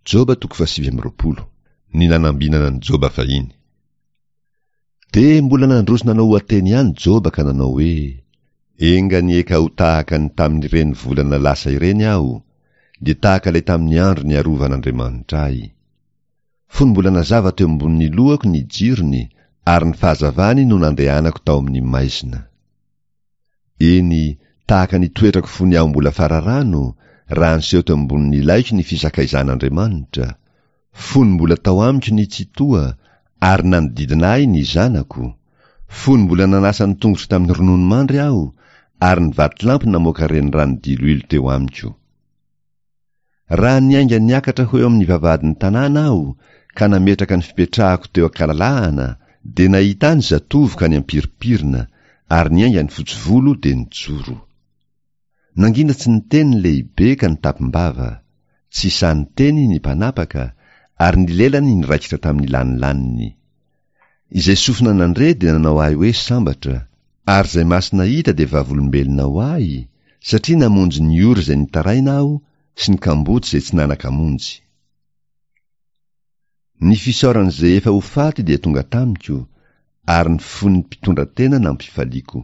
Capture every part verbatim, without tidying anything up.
Joba toko fahasivy amby roapolo. Ny nanambinana an'i Joba fahiny. Dia mbola nandroso nanao oha-teny ihany Joba ka nanao hoe, Enga anie ka ho tahaka ny tamin'ireny volana lasa ireny aho, dia tahaka ilay tamin'ny andro niarovan'Andriamanitra ahy. Fony mbola nazava teo ambonin'ny lohako ny jirony, ary ny fahazavany no nandehanako tao amin'ny maizina. Eny, tahaka ny toetrako fony aho mbola fararano, raha niseho teo ambonin'ny laiko ny fisakaizan'Andriamanitra, fony mbola tao amiko ny Tsitoha, ary nanodidina ahy ny zanako, fony mbola nanasa ny tongotro tamin'ny rononomandry aho, ary ny vatolampy namoaka renirano diloilo teo amiko. Raha niainga niakatra ho eo amin'ny vavahadin'ny tanàna aho, ka nametraka ny fipetrahako teo an-kalalahana, dia nahita ny zatovo ka niampirimpirina, ary niainga ny fotsy volo dia nijoro. Nangina tsy niteny ny lehibe ka nitapim-bava, tsy sahy niteny ny mpanapaka, ary ny lelany niraikitra tamin'ny lanilaniny. Izay sofina nandre dia nanao ahy hoe sambatra, ary izay maso nahita dia vavolombelona ho ahy, satria namonjy ny ory izay nitaraina aho sy ny kamboty izay tsy nanan-kamonjy. Ny fisaoran'izay efa ho faty dia tonga tamiko, ary ny fon'ny mpitondra tena nampifaliako.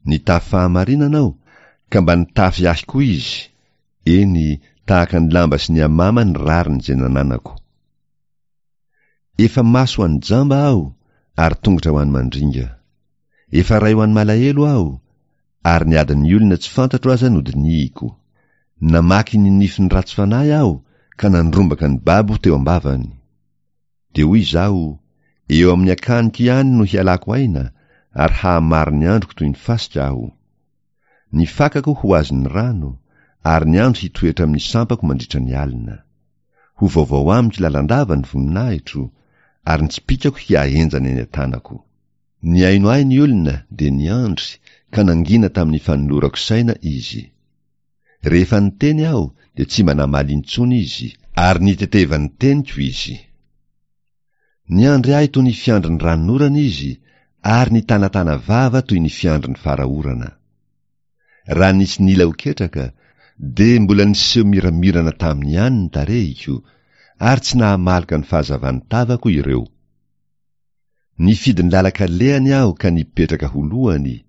Nitafy fahamarinana aho, ka mba nitafy ahy koa izy, eny, tahaka ny lamba sy ny amama ny rariny izay nananako. Efa maso ho an'ny jamba aho, ary tongotra ho an'ny mandringa. Efa ray ho an'ny malahelo aho, ary ny adin'ny olona tsy fantatro aza nodinihiko. Namaky ny nifin'ny ratsy fanahy aho, ka nandrombaka ny babo teo am-bavany. Dia hoy izaho, eo amin'ny akaniko ihany no hialako aina, ary hahamaro ny androko toy ny fasika aho. Ny fakako ho azon'ny rano, ary ny andro hitoetra amin'ny sampako mandritra ny alina. Ho vaovao amiko lalandava ny voninahitro, ary ny tsipìkako hiahenjana eny an-tanako. Nihaino ahy ny olona, dia niandry, ka nangina tamin'ny fanolorako saina izy. Rehefa niteny aho, dia tsy mba namaly intsony izy, ary nitetevan'ny teniko izy. Niandry ahy toy ny fiandry ny ranonorana izy, ary nitanatana vava toy ny fiandry ny fara-orana. Raha nisy nila ho ketraka, dia mbola niseho miramirana taminy ihany ny tarehiko, ary tsy nahamaloka ny fahazavan'ny tavako ireo. Nifidy ny lalan-kalehany aho ka nipetraka ho lohany,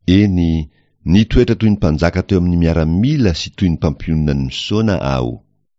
eny, nitoetra toy ny mpanjaka teo amin'ny miaramila sy toy ny mpampionona ny misaona aho.